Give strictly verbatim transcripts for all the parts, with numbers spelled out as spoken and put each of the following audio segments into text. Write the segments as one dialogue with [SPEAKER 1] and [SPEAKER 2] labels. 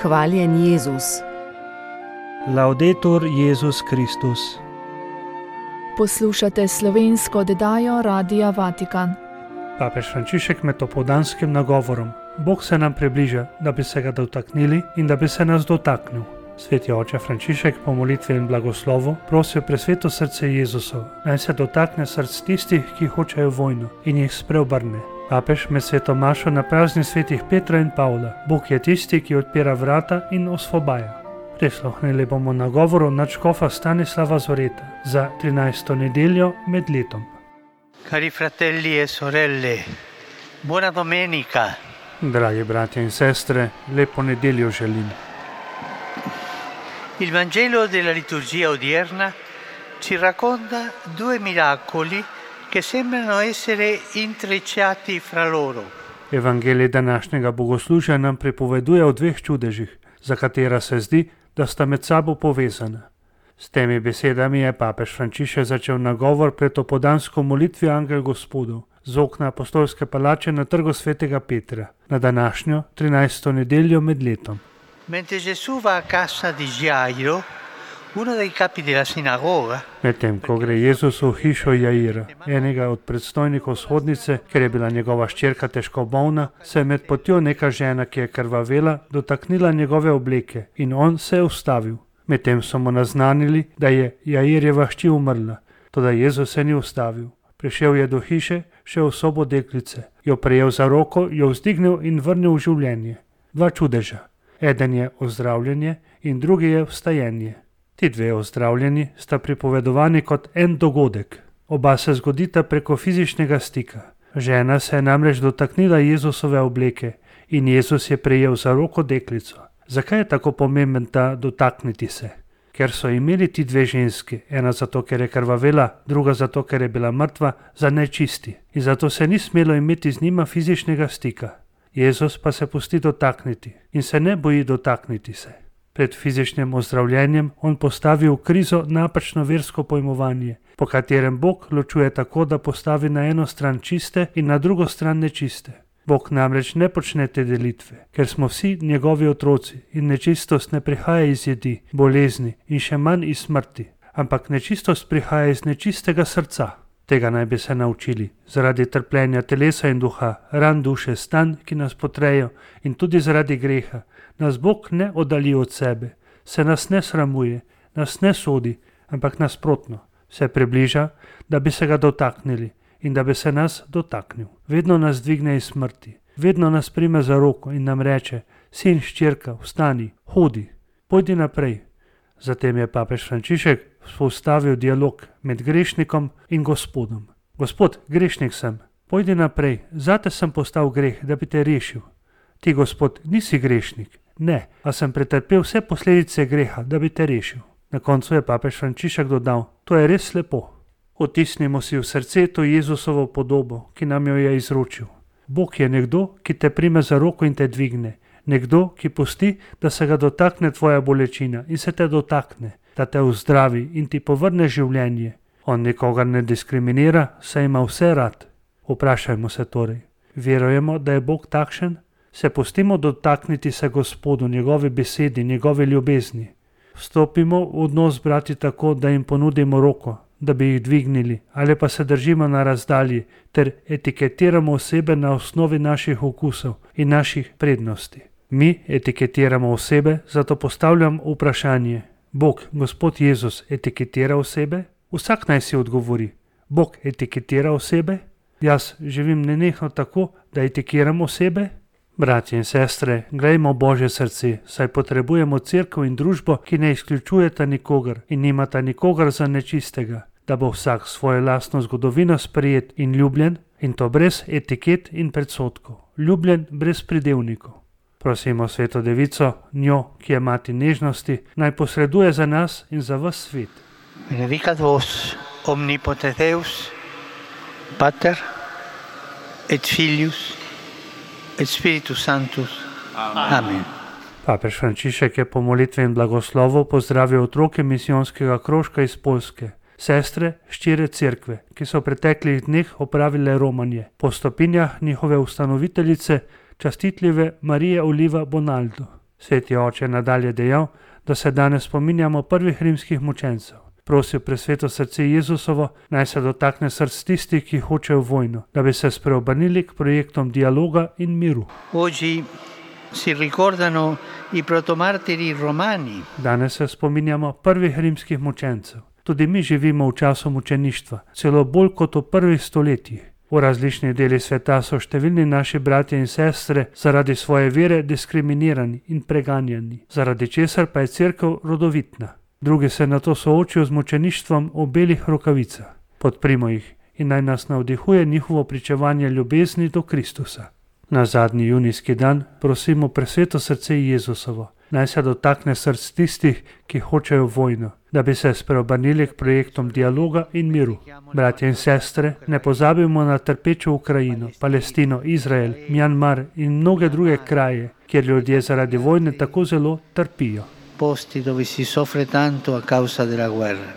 [SPEAKER 1] Hvaljen Jezus.
[SPEAKER 2] Laudetur Jezus Kristus.
[SPEAKER 3] Poslušate slovensko oddajo Radia Vatikan.
[SPEAKER 2] Papež Frančišek med opoldanskim nagovorom. Bog se nam približa, da bi se ga dotaknili in da bi se nas dotaknil. Sveti oče Frančišek po molitvi in blagoslovu prosil presveto srce Jezusov, naj se dotakne src tistih, ki hočejo vojno in jih spreobrne. Papež med sveto mašo na prazni svetih Petra in Pavla. Bog je tisti, ki odpira vrata in osvobaja. Prisluhnili bomo nagovoru nadškofa Stanislava Zoreta za trinajsto nedeljo med letom.
[SPEAKER 4] Cari fratelli e sorelle, buona domenica.
[SPEAKER 2] Dragi bratje in sestre, lepo nedeljo želim.
[SPEAKER 4] Il Vangelo della liturgia odierna ci racconta due miracoli che sembrano essere intrecciati fra loro.
[SPEAKER 2] Evangelij današnjega bogoslužja nam pripoveduje o dveh čudežih, za katera se zdi, da sta med sabo povezana. S temi besedami je papež Frančišek začel nagovor pred opoldansko molitvijo Angel Gospodov z okna apostolske palače na trgu svetega Petra na današnjo trinajsto nedeljo med letom.
[SPEAKER 4] Mentre Gesù va a casa di Jairo, uno dei capi della sinagoga,
[SPEAKER 2] Medtem ko gre Jezus v hišo Jaira, enega od predstojnikov vzhodnice, ker je bila njegova hčerka težko bolna, se je med potjo neka žena, ki je krvavela, dotaknila njegove obleke in on se je ustavil. Medtem so mu naznanili, da je Jairjeva hči umrla, toda Jezus se ni ustavil. Prišel je do hiše, šel v sobo deklice, jo prejel za roko, jo vzdignil in vrnil v življenje. Dva čudeža. Eden je ozdravljenje in drugi je vstajenje. Ti dve ozdravljeni sta pripovedovani kot en dogodek. Oba se zgodita preko fizičnega stika. Žena se je namreč dotaknila Jezusove obleke in Jezus je prejel za roko deklico. Zakaj je tako pomemben ta dotakniti se? Ker so imeli ti dve ženski, ena zato, ker je krvavela, druga zato, ker je bila mrtva, za nečisti in zato se ni smelo imeti z njima fizičnega stika. Jezus pa se pusti dotakniti in se ne boji dotakniti se. Pred fizičnim ozdravljenjem on postavi v krizo napačno versko pojmovanje, po katerem Bog ločuje tako, da postavi na eno stran čiste in na drugo stran nečiste. Bog namreč ne počne te delitve, ker smo vsi njegovi otroci in nečistost ne prihaja iz jedi, bolezni in še manj iz smrti, ampak nečistost prihaja iz nečistega srca. Tega naj bi se naučili, zaradi trpljenja telesa in duha, ran duše, stanj, ki nas potrejo in tudi zaradi greha. Nas Bog ne oddalji od sebe, se nas ne sramuje, nas ne sodi, ampak nasprotno, se približa, da bi se ga dotaknili in da bi se nas dotaknil. Vedno nas dvigne iz smrti, vedno nas prime za roko in nam reče: sin, hčerka, vstani, hodi, pojdi naprej. Zatem je papež Frančišek vzpostavil dialog med grešnikom in Gospodom. Gospod, grešnik sem, pojdi naprej, zate sem postal greh, da bi te rešil. Ti, Gospod, nisi grešnik, ne, a sem pretrpel vse posledice greha, da bi te rešil. Na koncu je papež Frančišek dodal: to je res lepo. Otisnimo si v srce to Jezusovo podobo, ki nam jo je izročil. Bog je nekdo, ki te prime za roko in te dvigne. Nekdo, ki pusti, da se ga dotakne tvoja bolečina in se te dotakne, da te vzdravi in ti povrne življenje. On nikogar ne diskriminira, saj ima vse rad. Vprašajmo se torej, verujemo, da je Bog takšen? Se pustimo dotakniti se Gospodu, njegovi besedi, njegovi ljubezni. Vstopimo v odnos brati tako, da jim ponudimo roko, da bi jih dvignili, ali pa se držimo na razdalji ter etiketiramo osebe na osnovi naših okusov in naših prednosti. Mi etiketiramo osebe, zato postavljam vprašanje: Bog, Gospod Jezus, etiketira osebe? Vsak naj si odgovori: Bog etiketira osebe? Jaz živim nenehno tako, da etikeram osebe? Bratje in sestre, glejmo Božje srce, saj potrebujemo cerkev in družbo, ki ne izključujeta nikogar in nimata nikogar za nečistega, da bo vsak svojo lastno zgodovino sprejet in ljubljen, in to brez etiket in predsodkov, ljubljen brez pridevnikov. Prosimo Sveto Devico, njo, ki je mati nežnosti, naj posreduje za nas in za ves svet.
[SPEAKER 4] Benedicat vos omnipotens Deus, Pater et Filius et Spiritus Sanctus. Amen.
[SPEAKER 2] Papež Frančišek je po molitvi in blagoslovu pozdravil otroke misijonskega krožka iz Poljske, sestre, hčere cerkve, ki so v preteklih dneh opravile romanje po stopinjah njihove ustanoviteljice, častitljive Marije Oliva Bonaldo. Sveti oče je nadalje dejal, da se danes spominjamo prvih rimskih mučencev. Prosil presveto srce Jezusovo, naj se dotakne src tistih, ki hočejo vojno, da bi se spreobrnili k projektom dialoga in miru.
[SPEAKER 4] Oggi si ricordano i protomartiri romani.
[SPEAKER 2] Danes se spominjamo prvih rimskih mučencev. Tudi mi živimo v času mučeništva, celo bolj kot v prvih stoletjih. V različnih delih sveta so številni naši bratje in sestre zaradi svoje vere diskriminirani in preganjani, zaradi česar pa je cerkev rodovitna. Drugi se nato soočijo z mučeništvom v belih rokavicah. Podprimo jih in naj nas navdihuje njihovo pričevanje ljubezni do Kristusa. Na zadnji junijski dan prosimo presveto srce Jezusovo, naj se dotakne src tistih, ki hočejo vojno, da bi se spreobrnili k projektom dialoga in miru. Bratje in sestre, ne pozabimo na trpečo Ukrajino, Palestino, Izrael, Mjanmar in mnoge druge kraje, kjer ljudje zaradi vojne tako zelo trpijo.
[SPEAKER 4] Posti dove si soffre tanto a causa della guerra.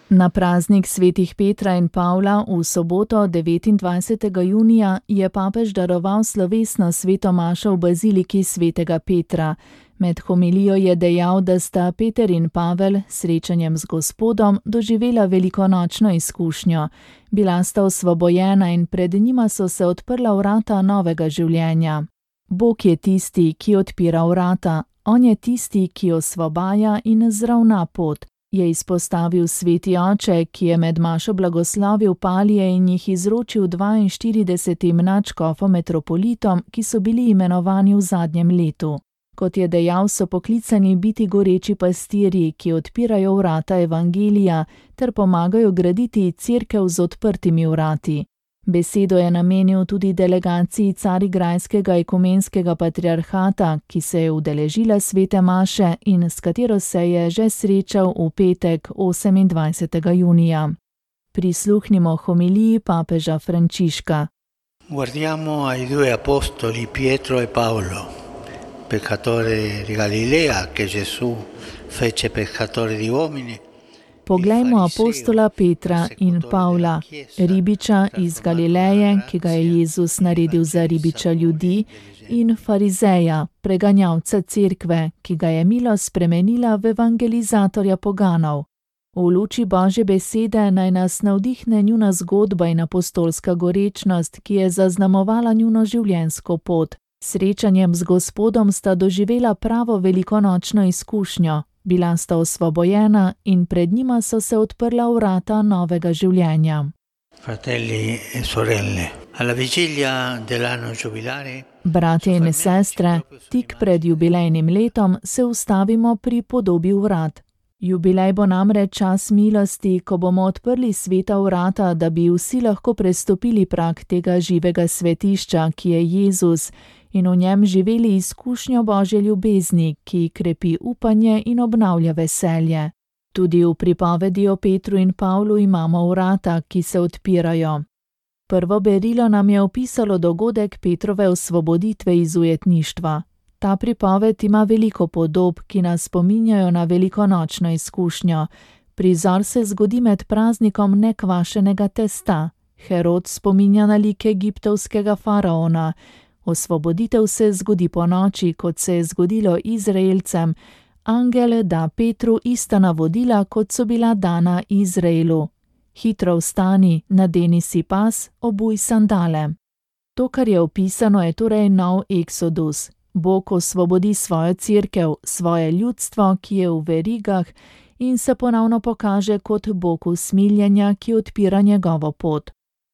[SPEAKER 3] Na praznik svetih Petra in Pavla v soboto devetindvajsetega junija je papež daroval slovesno sveto mašo v baziliki svetega Petra. Med homilijo je dejal, da sta Peter in Pavel s srečanjem z Gospodom doživela velikonočno izkušnjo. Bila sta osvobojena in pred njima so se odprla vrata novega življenja. Bog je tisti, ki odpira vrata, on je tisti, ki osvobaja in zravna pot, je izpostavil sveti oče, ki je med mašo blagoslovil palije in jih izročil dvainštiridesetim nadškofom metropolitom, ki so bili imenovani v zadnjem letu. Kot je dejal, so poklicani biti goreči pastirji, ki odpirajo vrata evangelija ter pomagajo graditi cerkev z odprtimi vrati. Besedo je namenil tudi delegaciji Carigrajskega ekumenskega patriarhata, ki se je udeležila svete maše in s katero se je že srečal v petek osemindvajsetega junija. Prisluhnimo homiliji papeža Frančiška.
[SPEAKER 4] Guardiamo ai due apostoli Pietro e Paolo, peccatore di Galilea che Gesù fece peccatore di uomini.
[SPEAKER 3] Poglejmo apostola Petra in Pavla, ribiča iz Galileje, ki ga je Jezus naredil za ribiča ljudi, in farizeja, preganjalca cerkve, ki ga je milost spremenila v evangelizatorja poganov. V luči Božje besede naj nas navdihne njuna zgodba in apostolska gorečnost, ki je zaznamovala njuno življenjsko pot. Srečanjem z Gospodom sta doživela pravo velikonočno izkušnjo. Bila sta osvobojena in pred njima so se odprla vrata novega življenja.
[SPEAKER 4] Fratelli e sorelle, alla vigilia dell'anno giubilare.
[SPEAKER 3] Bratje in sestre, tik pred jubilejnim letom se ustavimo pri podobi vrat. Jubilej bo namreč čas milosti, ko bomo odprli sveta vrata, da bi vsi lahko prestopili prag tega živega svetišča, ki je Jezus, in v njem živeli izkušnjo Božje ljubezni, ki krepi upanje in obnavlja veselje. Tudi v pripovedi o Petru in Pavlu imamo vrata, ki se odpirajo. Prvo berilo nam je opisalo dogodek Petrove osvoboditve iz ujetništva. Ta pripoved ima veliko podob, ki nas spominjajo na velikonočno izkušnjo. Prizor se zgodi med praznikom nekvašenega testa. Herod spominja na lik egiptovskega faraona. Osvoboditev se zgodi po noči, kot se je zgodilo Izraelcem. Angel da Petru ista navodila, kot so bila dana Izraelu. Hitro vstani, nadeni si pas, obuj sandale. To, kar je opisano, je torej nov eksodus. Bog osvobodi svojo cerkev, svoje ljudstvo, ki je v verigah, in se ponovno pokaže kot Bog usmiljenja, ki odpira njegovo pot.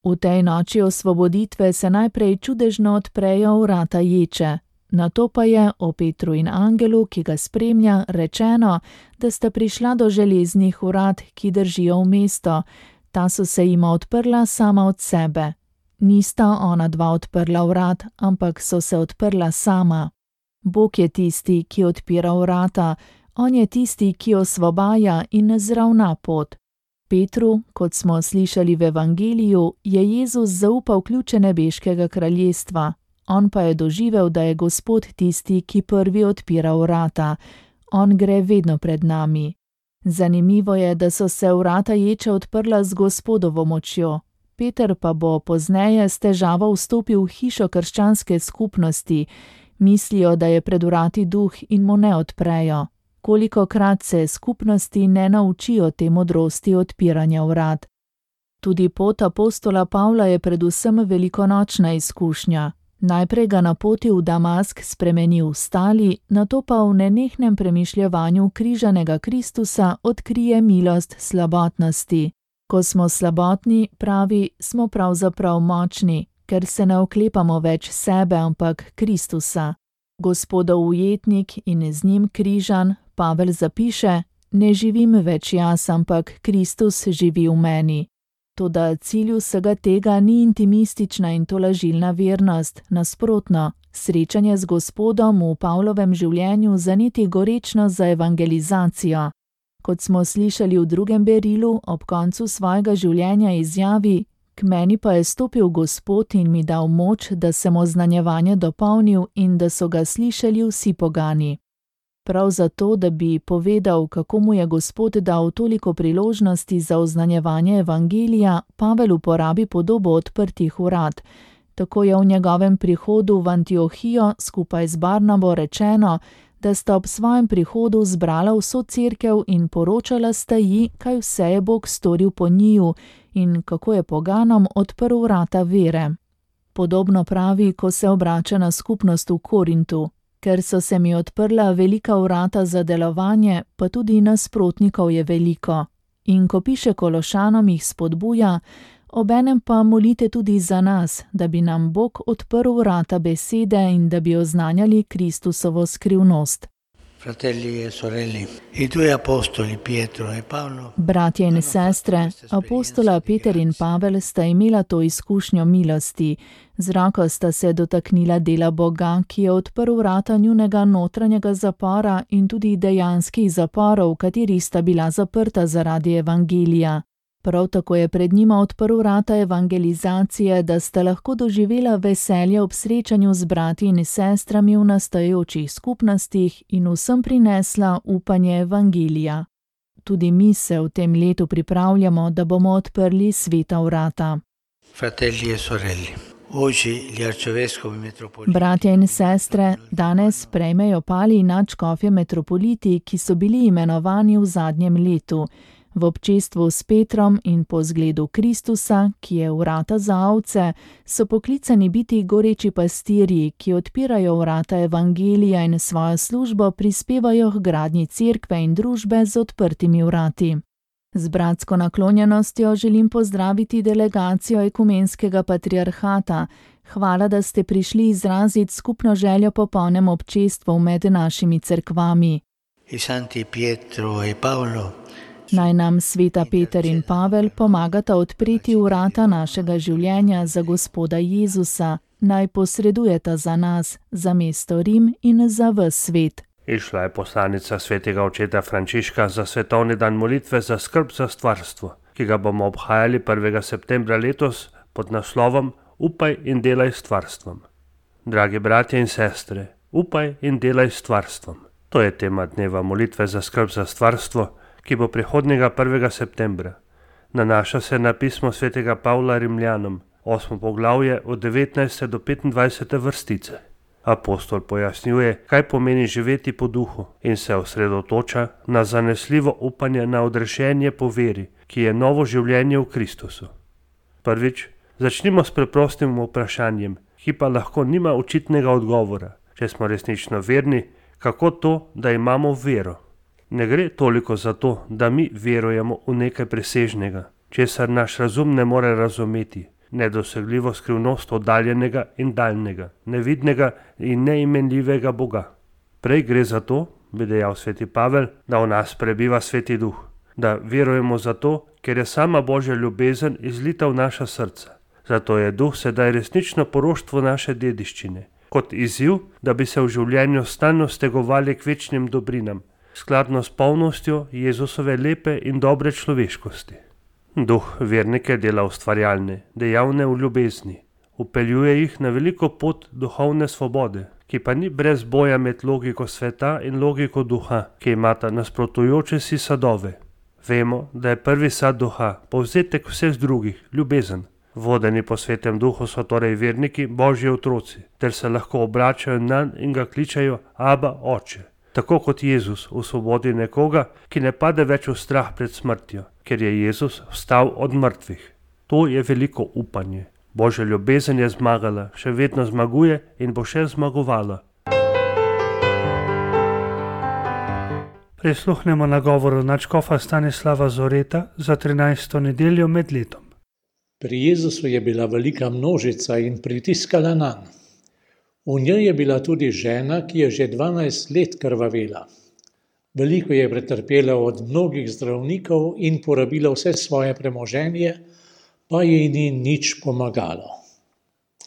[SPEAKER 3] V tej noči osvoboditve se najprej čudežno odprejo vrata ječe. Nato pa je o Petru in angelu, ki ga spremlja, rečeno, da sta prišla do železnih vrat, ki držijo v mesto. Ta so se jima odprla sama od sebe. Nista ona dva odprla vrat, ampak so se odprla sama. Bog je tisti, ki odpira vrata, on je tisti, ki osvobaja in zravna pot. Petru, kot smo slišali v evangeliju, je Jezus zaupal ključe nebeškega kraljestva. On pa je doživel, da je Gospod tisti, ki prvi odpira vrata. On gre vedno pred nami. Zanimivo je, da so se vrata ječe odprla z Gospodovo močjo. Peter pa bo pozneje s težavo vstopil v hišo krščanske skupnosti. Mislijo, da je pred vrati duh in mu ne odprejo. Kolikokrat se skupnosti ne naučijo te modrosti odpiranja vrat. Tudi pot apostola Pavla je predvsem velikonočna izkušnja. Najprej ga na poti v Damask spremeni v stali, nato pa v nenehnem premišljevanju križanega Kristusa odkrije milost slabotnosti. Ko smo slabotni, pravi, smo pravzaprav močni, ker se ne oklepamo več sebe, ampak Kristusa. Gospodov ujetnik in z njim križan, Pavel zapiše, ne živim več jaz, ampak Kristus živi v meni. Toda cilj vsega tega ni intimistična in tolažilna vernost, nasprotno, srečanje z Gospodom v Pavlovem življenju zaneti gorečno za evangelizacijo. Kot smo slišali v drugem berilu, ob koncu svojega življenja izjavi, k meni pa je stopil Gospod in mi dal moč, da sem oznanjevanje dopolnil in da so ga slišali vsi pogani. Prav zato, da bi povedal, kako mu je Gospod dal toliko priložnosti za oznanjevanje evangelija, Pavel uporabi podobo odprtih vrat. Tako je v njegovem prihodu v Antiohijo skupaj z Barnabo rečeno, da sta ob svojem prihodu zbrala vso cerkev in poročala sta ji, kaj vse je Bog storil po njiju in kako je poganom odprl vrata vere. Podobno pravi, ko se obrača na skupnost v Korintu. Ker so se mi odprla velika vrata za delovanje, pa tudi nasprotnikov je veliko. In ko piše Kološanom, jih spodbuja, obenem pa molite tudi za nas, da bi nam Bog odprl vrata besede in da bi oznanjali Kristusovo skrivnost.
[SPEAKER 4] Fratelli e sorelle, i due apostoli Pietro e Paolo.
[SPEAKER 3] Bratje in sestre, apostola Peter in Pavel sta imela to izkušnjo milosti. Z roko sta se dotaknila dela Boga, ki je odprl vrata njunega notranjega zapora in tudi dejanskih zaporov, v katerih sta bila zaprta zaradi evangelija. Prav tako je pred njima odprl vrata evangelizacije, da sta lahko doživela veselje ob srečanju z brati in sestrami v nastajajočih skupnostih in vsem prinesla upanje evangelija. Tudi mi se v tem letu pripravljamo, da bomo odprli sveta vrata.
[SPEAKER 4] Fratelli e sorelle, oggi gli arcivescovi metropoliti.
[SPEAKER 3] Bratje in sestre, danes prejmejo pali nadškofje metropoliti, ki so bili imenovani v zadnjem letu. V občestvu s Petrom in po zgledu Kristusa, ki je vrata za ovce, so poklicani biti goreči pastirji, ki odpirajo vrata evangelija in svojo službo prispevajo k gradnji cerkve in družbe z odprtimi vrati. Z bratsko naklonjenostjo želim pozdraviti delegacijo ekumenskega patriarhata. Hvala, da ste prišli izraziti skupno željo po polnem občestvu med našimi cerkvami.
[SPEAKER 4] I santi Pietro e Paolo.
[SPEAKER 3] Naj nam sveta Peter in Pavel pomagata odpreti vrata našega življenja za Gospoda Jezusa, naj posredujeta za nas, za mesto Rim in za ves svet.
[SPEAKER 2] Išla je poslanica svetega očeta Frančiška za svetovni dan molitve za skrb za stvarstvo, ki ga bomo obhajali prvega septembra letos pod naslovom Upaj in delaj s stvarstvom. Dragi bratje in sestre, upaj in delaj s stvarstvom. To je tema dneva molitve za skrb za stvarstvo, ki bo prihodnjega prvega septembra. Nanaša se na pismo svetega Pavla Rimljanom, osmo poglavje od devetnajste do petindvajsete vrstice. Apostol pojasnjuje, kaj pomeni živeti po duhu in se osredotoča na zanesljivo upanje na odrešenje po veri, ki je novo življenje v Kristusu. Prvič, začnimo s preprostim vprašanjem, ki pa lahko nima očitnega odgovora. Če smo resnično verni, kako to, da imamo vero? Ne gre toliko za to, da mi verujemo v nekaj presežnega, česar naš razum ne more razumeti, nedosegljivo skrivnost oddaljenega in daljnega, nevidnega in neimenljivega Boga. Prej gre za to, bi dejal sveti Pavel, da v nas prebiva sveti duh, da verujemo zato, ker je sama Božja ljubezen izlita v naša srca. Zato je duh sedaj resnično poroštvo naše dediščine, kot izziv, da bi se v življenju stalno stegovali k večnim dobrinam, skladno s polnostjo Jezusove lepe in dobre človeškosti. Duh vernike dela ustvarjalne, dejavne v ljubezni, upeljuje jih na veliko pot duhovne svobode, ki pa ni brez boja med logiko sveta in logiko duha, ki imata nasprotujoče si sadove. Vemo, da je prvi sad duha povzetek vseh drugih, ljubezen. Vodeni po Svetem Duhu so torej verniki, Božji otroci, ter se lahko obračajo nanj in ga kličejo Aba, Oče. Tako kot Jezus osvobodi nekoga, ki ne pade več v strah pred smrtjo, ker je Jezus vstal od mrtvih. To je veliko upanje. Božja ljubezen je zmagala, še vedno zmaguje in bo še zmagovala. Prisluhnemo nagovoru nadškofa Stanislava Zoreta za trinajsto nedeljo med letom.
[SPEAKER 1] Pri Jezusu je bila velika množica in pritiskala nanj. V njej je bila tudi žena, ki je že dvanajst let krvavela. Veliko je pretrpela od mnogih zdravnikov in porabila vse svoje premoženje, pa ji ni nič pomagalo.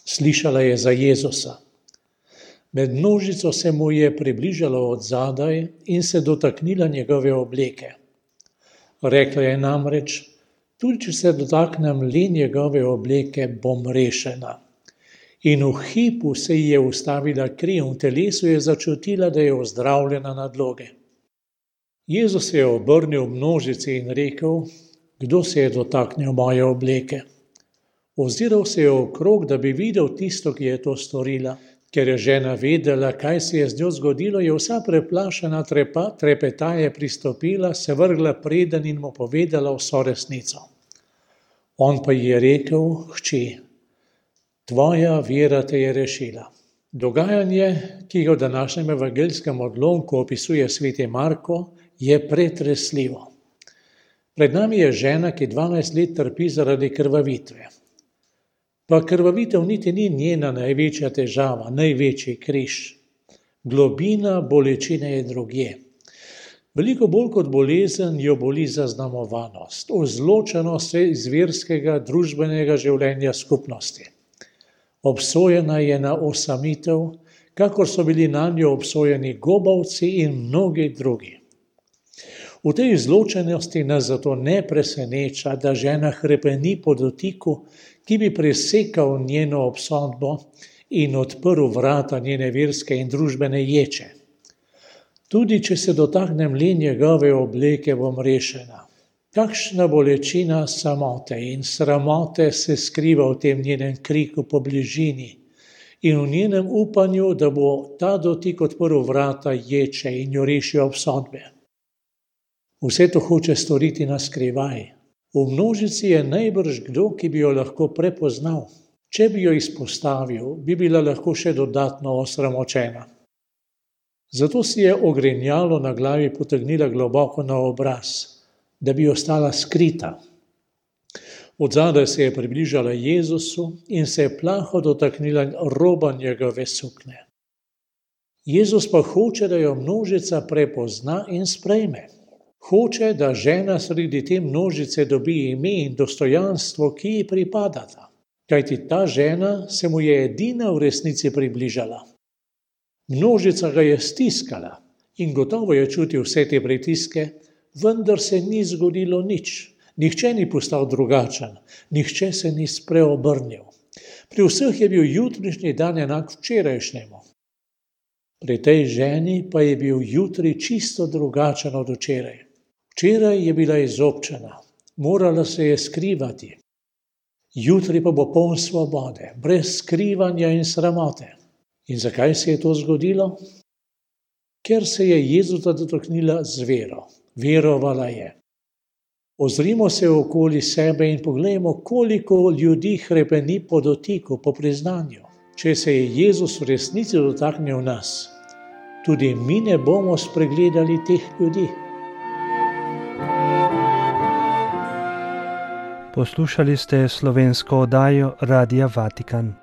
[SPEAKER 1] Slišala je za Jezusa. Med množico se mu je približala od zadaj in se dotaknila njegove obleke. Rekla je namreč, tudi če se dotaknem le njegove obleke, bom rešena. In v hipu se ji je ustavila kri in v telesu je začutila, da je ozdravljena nadloge. Jezus se je obrnil v množici in rekel, kdo se je dotaknil moje obleke? Oziral se je okrog, da bi videl tisto, ki je to storila. Ker je žena vedela, kaj se je z njo zgodilo, je vsa preplašena trepa, trepetaje pristopila, se vrgla preden in mu povedala vso resnico. On pa ji je rekel, hči, tvoja vera te je rešila. Dogajanje, ki ga v današnjem evangeljskem odlomku opisuje sveti Marko, je pretresljivo. Pred nami je žena, ki dvanajst let trpi zaradi krvavitve. Pa krvavitev niti ni njena največja težava, največji križ. Globina bolečine je drugje. Veliko bolj kot bolezen jo boli zaznamovanost, izločenost iz verskega, družbenega življenja skupnosti. Obsojena je na osamitev, kakor so bili nanjo obsojeni gobavci in mnogi drugi. V tej izločenosti nas zato ne preseneča, da žena hrepeni po dotiku, ki bi presekal njeno obsodbo in odprl vrata njene verske in družbene ječe. Tudi če se dotaknem le njegove obleke, bom rešena. Kakšna bolečina samote in sramote se skriva v tem njenem kriku po bližini in v njenem upanju, da bo ta dotik odprl vrata ječe in jo rešil obsodbe. Vse to hoče storiti na skrivaj. V množici je najbrž kdo, ki bi jo lahko prepoznal. Če bi jo izpostavil, bi bila lahko še dodatno osramočena. Zato si je ogrinjalo na glavi potegnila globoko na obraz, da bi ostala skrita. Od zadaj se je približala Jezusu in se je plaho dotaknila roba njegove suknje. Jezus pa hoče, da jo množica prepozna in sprejme. Hoče, da žena sredi te množice dobi ime in dostojanstvo, ki ji pripadata. Kajti ta žena se mu je edina v resnici približala. Množica ga je stiskala in gotovo je čutil vse te pritiske, vendar se ni zgodilo nič. Nihče ni postal drugačen, nihče se ni spreobrnil. Pri vseh je bil jutrišnji dan enak včerajšnjemu. Pri tej ženi pa je bil jutri čisto drugačen od včeraj. Včeraj je bila izobčena, morala se je skrivati. Jutri pa bo poln svobode, brez skrivanja in sramote. In zakaj se je to zgodilo? Ker se je Jezusa dotaknila z vero. Verovala je. Ozrimo se okoli sebe in poglejmo, koliko ljudi hrepeni po dotiku, po priznanju. Če se je Jezus v resnici dotaknil nas, tudi mi ne bomo spregledali teh ljudi.
[SPEAKER 2] Poslušali ste slovensko oddajo Radia Vatikan.